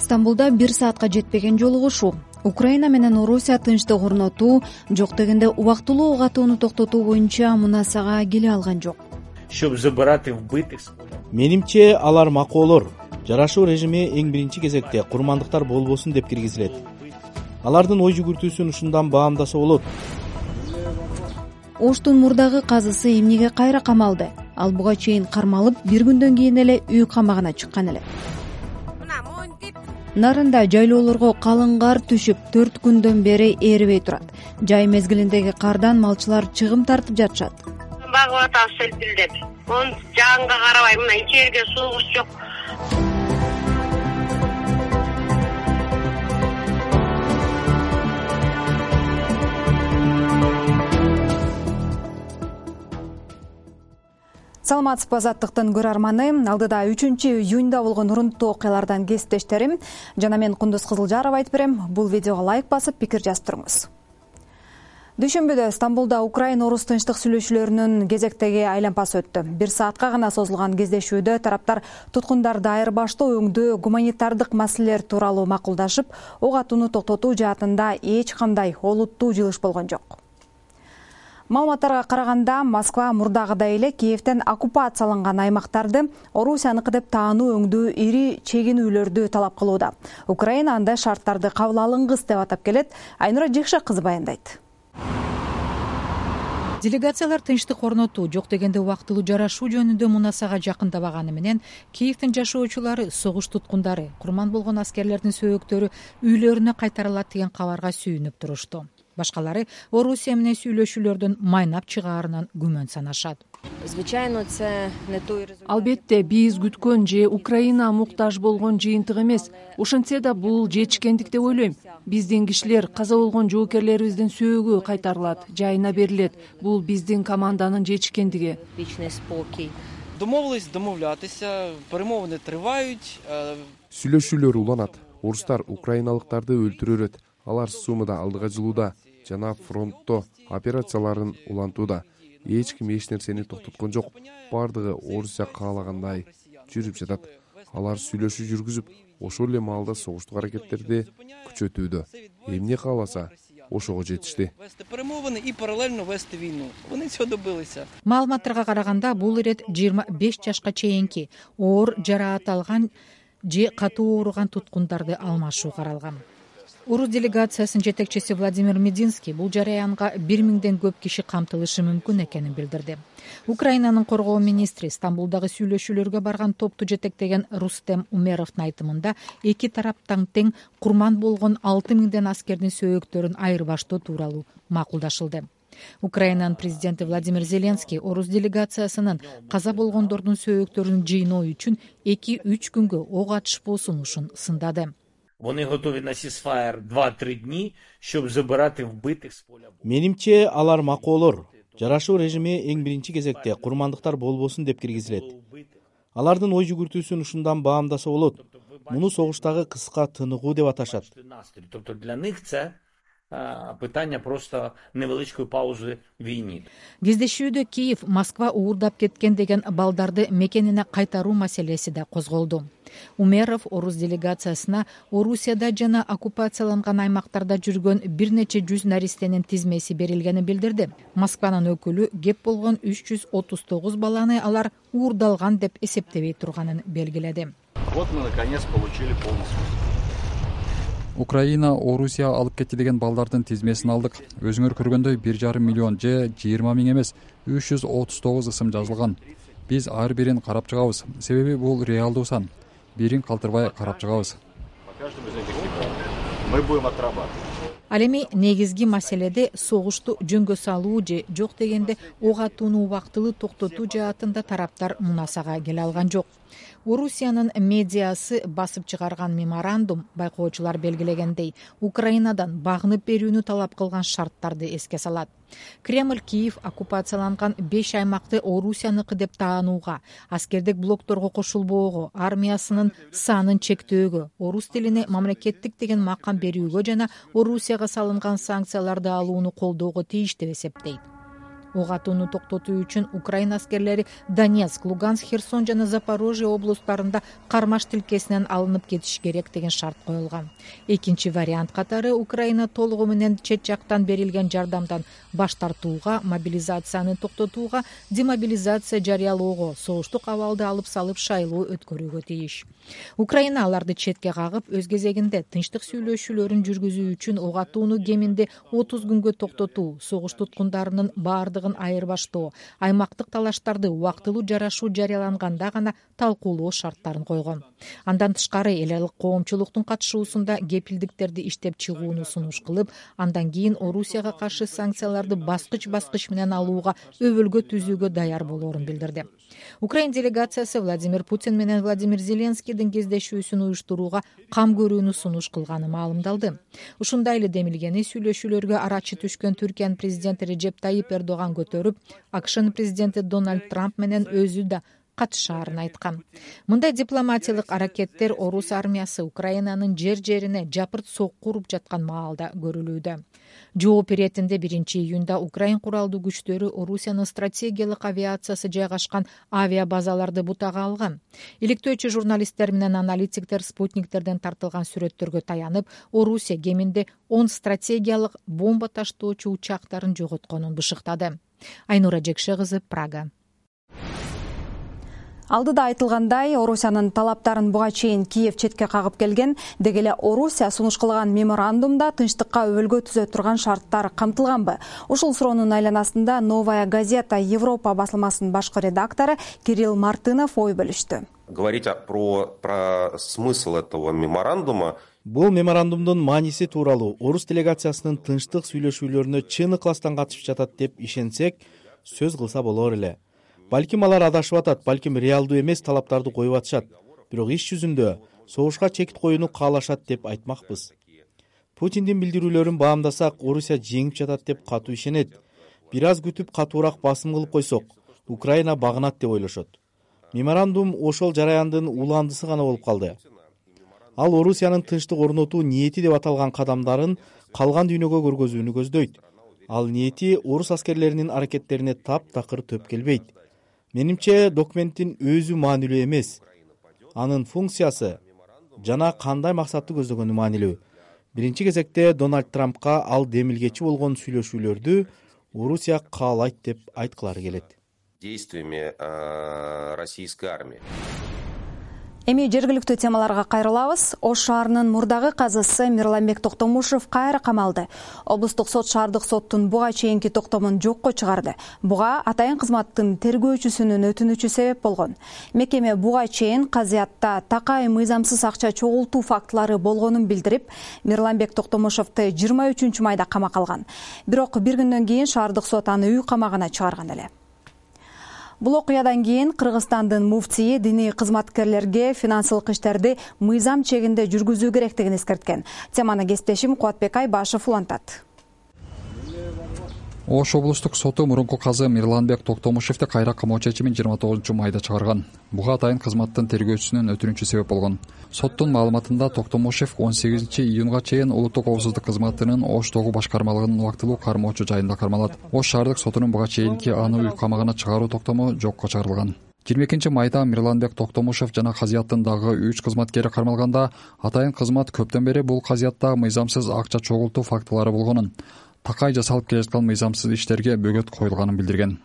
Стамбулда 1 саатка жетпеген жолугушуу. Украина менен Орусия тынчтык орнотуу, жок дегенде убактылуу ок атууну токтотуу боюнча мунасага келе алган жок. Менимче алар макоолор. Жарашуу режими эң биринчи кезекте курмандыктар болбосун деп киргизилет. Алардын ой жүгүртүүсүн ушундан баамдаса болот. Оштун мурдагы казысы эмнеге кайра камалды? Ал буга чейин кармалып, бир күндөн кийин эле үй камагына чыккан эле. Нарында жайлоолорго калың кар түшүп, 4 күндөн бери эрибей турат. Жай мезгилиндеги кардан малчылар чыгым тартып жатышат. Багып атабыз селпилдеп. Оны жаагынга карабай, мына ичерге суубуз жок. Саламатсызбы, Азаттыктын көрөрманы. Алдыда 3-июнда болгон урунттуу окуялардан кесиптештерим жана мен Кундуз Кызылжарова айтып берем. Бул видеого лайк басып, пикир жазып туруңуз. Дүйшөмбүдө Стамбулда Украина-Орус тынчтык сүйлөшүүлөрүнүн кезектеги айланпасы өттү. 1 саатка гана созулган кездешүүдө тараптар туткундарды айырбаштоо өңдүү гуманитардык маселелер тууралуу макулдашып, ок атууну токтотуу жаатында эч кандай олуттуу жылыш болгон жок. Маалыматтарга караганда, Москва мурдагыдай эле Киевден оккупацияланган аймактарды Орусияныкы деп таануу өңдүү ири чегинүүлөрдү талап кылууда. Украина андай шарттарды кабыл алынгыс деп атап келет. Айнура Жекше кызы баяндайт. Делегациялар тынчтык орнотуу, жок дегенде убактылуу жарашуу жөнүндө мунасага жакындабаганы менен Киевдин жашоочулары, согуш туткундары, курман болгон аскерлердин сөөгөктөрү үйлөрүнө кайтарылат деген кабарга сүйүнүп турушту. Башкалары Орусия менен сүйлөшүүлөрдөн майнап чыгаарынан күмөн санашат. Албетте, биз күткөн же Украина муктаж болгон жыйынтык эмес. Ошентсе да бул жетишкендик деп ойлойм. Биздин кишилер, каза болгон жоокерлерибиздин сөөгү кайтарылат, жайына берилет. Бул биздин команданын жетишкендиги. Перемовини тривають. Сүйлөшүүлөр уланат. Орустар украиналыктарды өлтүрөт. Алар Сумыда алдыга жылууда жана фронтто операцияларын улантууда. Эч ким эч нерсени токтоткон жок. Бардыгы Орусия каалагандай жүрүп жатат. Алар сүйлөшүү жүргүзүп, ошол эле маалда согуштук аракеттерди күчөтүүдө. Эмне кааласа, ошого жетишти. Маалыматтарга караганда, бул ирет 25 жашка чейинки оор жараат алган же катуу ооруган туткундарды алмашуу каралган. Орус делегациясынын жетекчиси Владимир Мединский бул жараянга 1000ден көп киши камтылышы мүмкүн экенин билдирди. Украинанын коргоо министри Стамбулдагы сүйлөшүүлөргө барган топту жетектеген Рустем Умеровдун айтымында, эки тараптан тең курман болгон 6000ден аскердин сөөгөктөрүн айырбаштоо тууралуу макулдашылды. Украинанын президенти Владимир Зеленский Орус делегациясынын каза болгондордун сөөгөктөрүн жыйноо үчүн 2-3 күнгө ок атышпоо сунушун сындады. Вони готові на сісфаєр 2-3 дні, щоб забирати вбитих з поля бою. Менимче алар макоолор. Жарашуу режими эң биринчи кезекте курмандыктар болбосун деп киргизилет. Алардын ой жүгүртүүсүн ушундан баамдаса болот. Муну согуштагы кыска тыныгуу деп аташат. Тобто для них це питання просто невеличкої паузи війни. Кездешүүдө Киев, Москва уурдап кеткен деген балдарды мекенине кайтаруу маселеси да козголду. Умеров Орус делегациясына Орусияда жана оккупацияланган аймактарда жүргөн бир нече жүз наристенин тизмеси берилгенин билдирди. Москванын өкүлү кеп болгон 339 баланы алар уурдалган деп эсептебей турганын белгиледи. Вот мы наконец получили полностью. Украина, Орусия алып кетти деген балдардын тизмесин алдык. Өзүңөр көргөндөй 1,5 миллион же 20 000 эмес, 339 ысым жазылган. Биз ар бирин карап чыгабыз. Себеби бул реалдуу сан. Бирин калтырбай карап чыгабыз. Мы будем отрабатывать. Ал эми негизги маселеде согушту жөнгө салуу же жок дегенде ок атууну убактылуу токтотуу жаатында тараптар мунасага келе алган жок. Орусиянын медиасы басып чыгарган меморандум байкоочулар белгилегендей Украинадан багынып берүүнү талап кылган шарттарды эске салат. Кремль Киев оккупацияланган 5 аймакты Орусияныкы деп таанууга, аскердик блокторго кошулбоого, армиясынын санын чектөөгө, орус тилине мамлекеттик деген макам берүүгө жана Орусияга салынган санкцияларды алууну колдоого тийиш деп эсептейт. ок атууну токтотуу үчүн Украина аскерлери Донецк, Луганск, Херсон жана Запорожье облустарында кармаш тилкесинен алынып кетиш керек деген шарт коюлган. Экинчи вариант катары Украина толугу менен чет жактан берилген жардамдан баш тартууга, мобилизацияны токтотууга, демобилизация жарыялоого, согуштук абалды алып салып шайлоо өткөрүүгө тийиш. Украина аларды четке кагып, өз кезегинде тынчтык сүйлөшүүлөрүн жүргүзүү үчүн ок атууну кеминде 30 күнгө токтотуу, согуш туткундарынын баардыгын айырбаштоо, аймактык талаштарды убактылуу жарашуу жарыяланганда гана талкуулоо шарттарын койгон. Андан тышкары эл аралык коомчулуктун катышуусунда кепилдиктерди иштеп чыгууну сунуш кылып, андан кийин Орусияга каршы санкцияларды баскыч менен алууга өбөлгө түзүүгө даяр болоорун билдирди. Украин делегациясы Владимир Путин менен Владимир Зеленскийдин кездешүүсүн уюштурууга кам көрүүнү сунуш кылганы маалымдалды. Ушундай эле демилгени сүйлөшүүлөргө арачы түшкөн Түркиянын президенти Режеп Тайип Эрдоган көтөрүп, АКШнын президенти Дональд Трамп менен өзү да катышаарын айткан. Мындай дипломатиялык аракеттер орус армиясы Украинанын жер-жерине жапырт сокку уруп жаткан маалда көрүлүүдө. Жооп иретинде 1-июнда Украин куралдуу күчтөрү Орусиянын стратегиялык авиациясы жайгашкан авиабазаларды бутага алган. Иликтөөчү журналисттер менен аналитиктер спутниктерден тартылган сүрөттөргө таянып, Орусия кеминде 10 стратегиялык бомба таштоочу учактарын жоготконун бышыктады. Айнура Жекше кызы, Прага. Алдыда айтылгандай, Орусиянын талаптарын буга чейин Киев четке кагып келген, деги эле Орусия сунуш кылган меморандумда тынчтыкка өбөлгө түзө турган шарттар камтылганбы? Ушул суроонун айланасында Новая газета Европа басылмасынын башкы редактору Кирилл Мартынов ой бөлүштү. Говорить про смысл этого меморандума. Бул меморандумдун мааниси тууралуу орус делегациясынын тынчтык сүйлөшүүлөрүнө чын ыкластан катышып жатат деп ишенсек, сөз кылса болор эле. Балким алар адашып атат, балким реалдуу эмес талаптарды коюп атышат. Бирок иш жүзүндө согушка чекит коюуну каалашат деп айтмакпыз. Путиндин билдирүүлөрүн баамдасак, Орусия жеңип жатат деп катуу ишенет. Бир аз күтүп катуураак басым кылып койсок, Украина багынат деп ойлошот. Меморандум ошол жараяндын уландысы гана болуп калды. Ал Орусиянын тынчтык орнотуу ниети деп аталган кадамдарын калган дүйнөгө көргөзүүнү көздөйт. Ал ниети орус аскерлеринин аракеттерине таптакыр төп келбейт. Менимче документтин өзү маанилүү эмес. Анын функциясы жана кандай максатты көздөгөнү маанилүү. Биринчи кезекте Дональд Трампка ал демилгечи болгон сүйлөшүүлөрдү Орусия каалайт деп айткылары келет. Действиями российской армии. Эми жергиликтүү темаларга кайрылабыз. Ош шаарынын мурдагы казысы Мирланбек Токтомушев кайра камалды. Облустук сот шаардык соттун буга чейинки токтомун жокко чыгарды. Буга атайын кызматтын тергөөчүсүнүн өтүнүчү себеп болгон. Мекеме буга чейин казыятта такай мыйзамсыз акча чогултуу фактылары болгонун билдирип, Мирланбек Токтомушевду 23-майда камакка алган. Бирок бир күндөн кийин шаардык сот аны үй камагына чыгарган эле. Бул окуядан кийин Кыргызстандын муфтийи диний кызматкерлерге финансылык иштерди мыйзам чегинде жүргүзүү керектигин эскерткен. Теманы кесиптешим Кубатбек Айбашев улантат. Ош облустук соту мурунку казы Мирланбек Токтомушевди кайра камоо чечимин 29-майда чыгарган. Буга атайын кызматтын тергөөчүсүнүн өтүнүчү себеп болгон. Соттун маалыматында Токтомушев 18-июнга чейин улуттук коопсуздук кызматынын Оштогу башкармалыгынын убактылуу кармоочу жайында кармалат. Ош шаардык сотунун буга чейинки аны үй камагына чыгаруу токтому жокко чыгарылган. 22-майда Мирланбек Токтомушев жана казыяттын дагы 3 кызматкери кармалганда, атайын кызмат көптөн бери бул казыятта мыйзамсыз акча чогултуу фактылары болгонун, такай жасалып келе жаткан мыйзамсыз иштерге бөгөт коюлганын билдирген.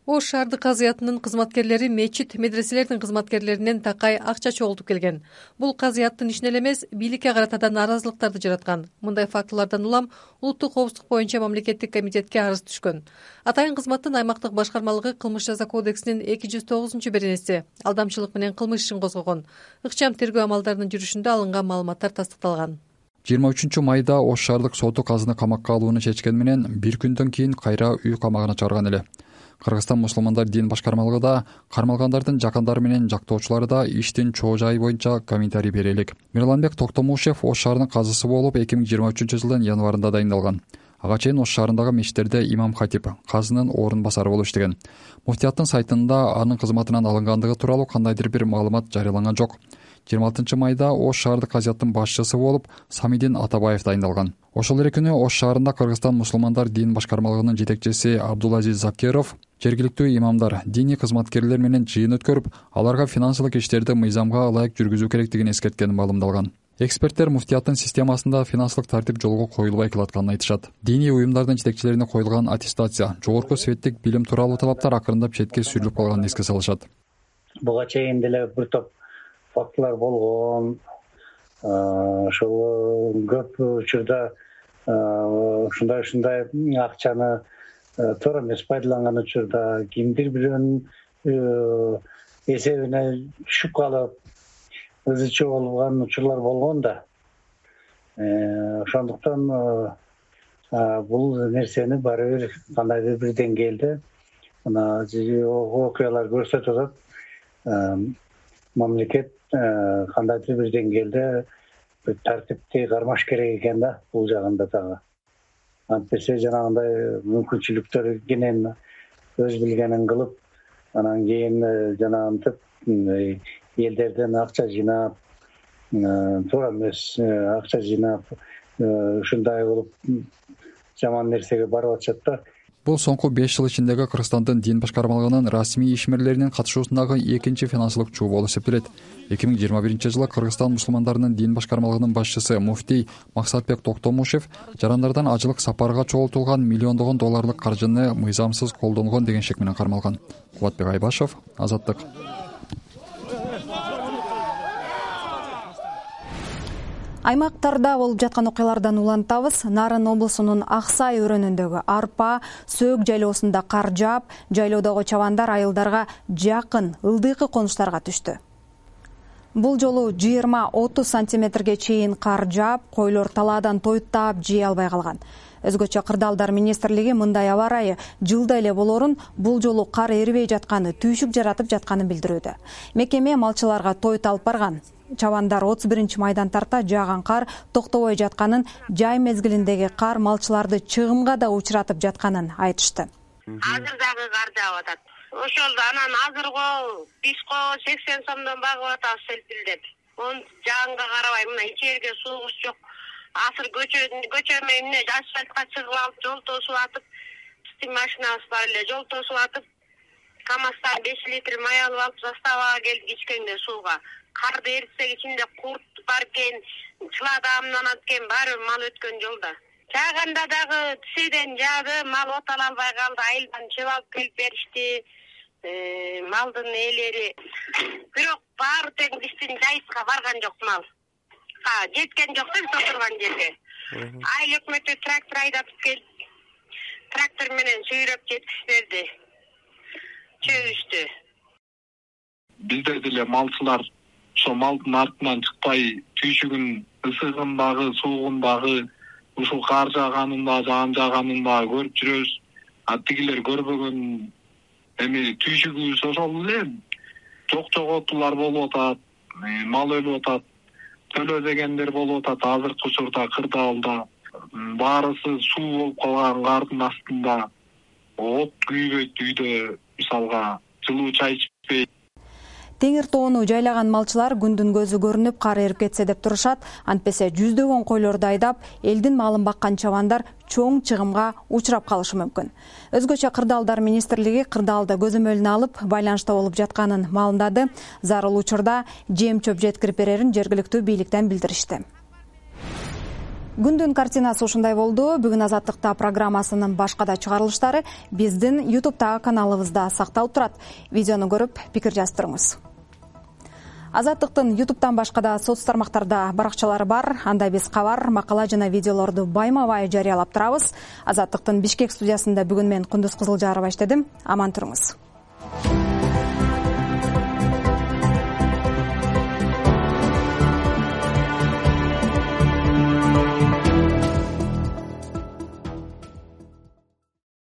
Ош шаардык казыятынын кызматкерлери мечит, медреселердин кызматкерлеринен такай акча чогултуп келген. Бул казыяттын ишине эмес, бийликке карата да нааразылыктарды жараткан. Мындай фактылардан улам улуттук коопсуздук боюнча мамлекеттик комитетке арыз түшкөн. Атайын кызматтын аймактык башкармалыгы кылмыш жаза кодексинин 209-беренеси алдамчылык менен кылмыш ишин козгогон. Ыкчам тергөө амалдарынын жүрүшүндө алынган маалыматтар тастыкталган. 23-майда Ош шаардык соту казыны камакка алууну чечкен менен бир күндөн кийин кайра үй камагына чыгарган эле. Кыргызстан мусулмандар дин башкармалыгы да кармалгандардын жакындары менен жактоочулары да иштин чоо жайы боюнча комментарий бере элек. Мирланбек Токтомушев Ош шаарынын казысы болуп 2023-жылдын январында дайындалган. Ага чейин Ош шаарындагы мечиттерде имам хатип, казынын орун басары болуп иштеген. Муфтияттын сайтында анын кызматынан алынгандыгы тууралуу кандайдыр бир маалымат жарыяланган жок. 26 майда Ош шаардык казияттын башчысы болуп Самидин Атабаев дайындалган. Ошол эле күнү Ош шаарында Кыргызстан мусулмандар дин башкармалыгынын жетекчиси Абдулазиз Закиров жергиликтүү имамдар, диний кызматкерлер менен жыйын өткөрүп, аларга финансылык иштерди мыйзамга ылайык жүргүзүү керектигин эскерткени маалымдалган. Эксперттер муфтияттын системасында финансылык тартип жолго коюлбай калатканын айтышат. Диний уюмдардын жетекчилерине коюлган аттестация, жогорку светтик билим тууралуу талаптар акырындап четке сүрүлүп калганын эске салышат. Буга чейин деле бир топ фактылар болгон. Ошол көп учурда ушундай акчаны туура эмес пайдаланган учурда кимдир бирөөнүн эсебине түшүп калып ызычы болгон учурлар болгон да. Ошондуктан бул нерсени баары бир кандайдыр бир деңгээлде мына окуялар көрсөтүп атат. Мамлекет кандайдыр бир деңгээлде тартипти кармаш керек экен да бул жагында дагы. Антесе жанагындай мүмкүнчүлүктөр кенен өз билгенин кылып, анан кийин жанагынтип элдерден акча жыйнап, туура эмес акча жыйнап, ушундай болуп жаман нерсеге барып атышат да. Бул соңку 5 жыл ичиндеги Кыргызстандын дин башкармалыгынын расмий ишмерлеринин катышуусундагы экинчи финансылык чуу болуп эсептелет. 2021-жылы Кыргызстан мусулмандарынын дин башкармалыгынын башчысы муфтий Максатбек Токтомушев жарандардан ажылык сапарга чогултулган миллиондогон долларлык каржыны мыйзамсыз колдонгон деген шек менен кармалган. Кубатбек Айбашев, Азаттык. Аймактарда болуп жаткан окуялардан улантабыз. Нарын облусунун Аксай өрөөнүндөгү арпа, сөөк жайлоосунда кар жаап, жайлоодогу чабандар айылдарга жакын ылдыйкы конуштарга түштү. Бул жолу 20-30 сантиметрге чейин кар жаап, койлор талаадан тоюттап жей албай калган. Өзгөчө Кырдаалдар министрлиги мындай аба ырайы жылда эле болорун, бул жолу кар эрибей жатканы, түйшүк жаратып жатканын билдирүүдө. Мекеме малчыларга тоют алып барган. Чабандар 31-майдан тарта жааган кар токтобой жатканын, жай мезгилиндеги кар малчыларды чыгымга да учуратып жатканын айтышты. Азыр дагы кар жаап атат. Ошол анан азырго бишко 80 сомдон багып атабыз селпилдеп. Оны жааганга карабай мына ичерге суугуч жок. Азыр көчө менен асфальтка чыгып алып, жол тосуп атып, стим машинабыз бар эле, жол тосуп атып, КамАЗдан 5 литр май алып алып, заставага келдик ичкенде сууга. Карды эритсек ичинде курт бар экен, чыладамданат экен, баары мал өткөн жолда. Жааганда дагы тиседен жаады, мал отала албай калды, айылдан чыгып алып келип беришти. Малдын ээлери. Бирок баары тең биздин жайытка барган жок мал. Жеткен жок да биз отурган жерге. Айыл өкмөтү трактор айдатып келип, трактор менен сүйрөп жеткирип берди. Чөгүштү. Бизде деле малчылар ошо малдын артынан чыкпай, түйшүгүн, ысыгындагы, суугундагы, ушул кар жааганында, жаан жааганында көрүп жүрөбүз. Тигилер көрбөгөн эми түйшүгүбүз ошол эле жок-жоготуулар болуп атат, мал өлүп атат, төлөбөгөндөр болуп атат. Азыркы учурда Кырдаалда баарысы суу болуп калган кардын астында, от күйбөйт үйдө, мисалга жылуу чай ичпейт. Теңир тоону жайлаган малчылар күндүн көзү көрүнүп кар эрип кетсе деп турушат. Антпесе жүздөгөн койлорду айдап, элдин малын баккан чабандар чоң чыгымга учурап калышы мүмкүн. Өзгөчө Кырдаалдар министрлиги Кырдаалда көзөмөлүнө алып, байланышта болуп жатканын маалымдады. Зарыл учурда жем-чөп жеткирип берерин жергиликтүү бийликтен билдиришти. Күндүн картинасы ушундай болду. Бүгүн Азаттыкта программасынын башка да чыгарылыштары биздин YouTube'тагы каналыбызда сакталып турат. Видеону көрүп, пикир жаздырыңыз. Азаттыктын YouTube'тан башка да соц тармактарда баракчалары бар. Анда биз кабар, макала жана видеолорду байма-бай жарыялап турабыз. Азаттыктын Бишкек студиясында бүгүн мен Кундуз Кызылжарова иштедим. Аман туруңуз.